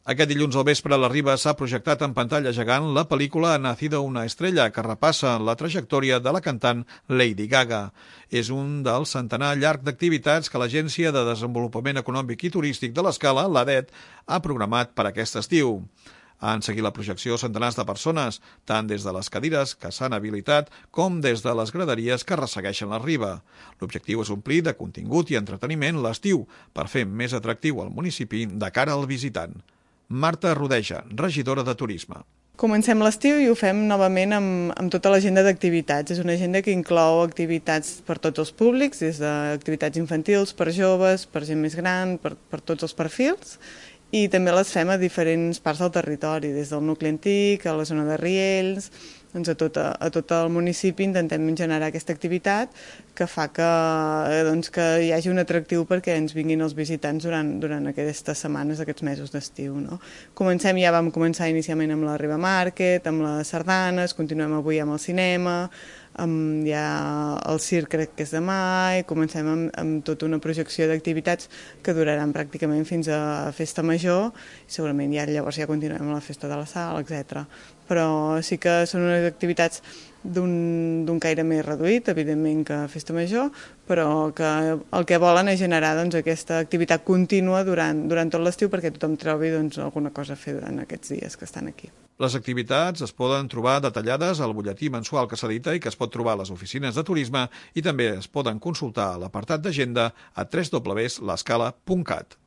Aquest dilluns al vespre a la Riba s'ha projectat en pantalla gegant la pel·lícula Nacido una estrella, que repassa la trajectòria de la cantant Lady Gaga. És un dels centenar llarg d'activitats que l'Agència de Desenvolupament Econòmic i Turístic de l'Escala, l'ADET, ha programat per aquest estiu. Han seguit la projecció centenars de persones, tant des de les cadires que s'han habilitat com des de les graderies que ressegueixen la riba. L'objectiu és omplir de contingut i entreteniment l'estiu per fer més atractiu el municipi de cara al visitant. Marta Rodeja, regidora de Turisme. Comencem l'estiu i ho fem novament amb tota l'agenda d'activitats. És una agenda que inclou activitats per tots els públics, des d'activitats infantils, per joves, per gent més gran, per tots els perfils, i també les fem a diferents parts del territori, des del nucli antic, a la zona de Riells, doncs a tot el municipi intentem generar aquesta activitat que fa que hi hagi un atractiu perquè ens vinguin els visitants durant aquestes setmanes, aquests mesos d'estiu. No? Vam començar inicialment amb la Riba Market, amb les sardanes, continuem avui amb el cinema, hi ha el circ, crec que és demà, i comencem amb tota una projecció d'activitats que duraran pràcticament fins a Festa Major, i segurament llavors ja continuem amb la Festa de la Sal, etc. Però sí que són unes activitats d'un caire més reduït, evidentment, que Festa Major, però que el que volen és generar aquesta activitat contínua durant tot l'estiu perquè tothom trobi alguna cosa a fer durant aquests dies que estan aquí. Les activitats es poden trobar detallades al butlletí mensual que s'edita i que es pot trobar a les oficines de turisme, i també es poden consultar a l'apartat d'agenda a www.lescala.cat.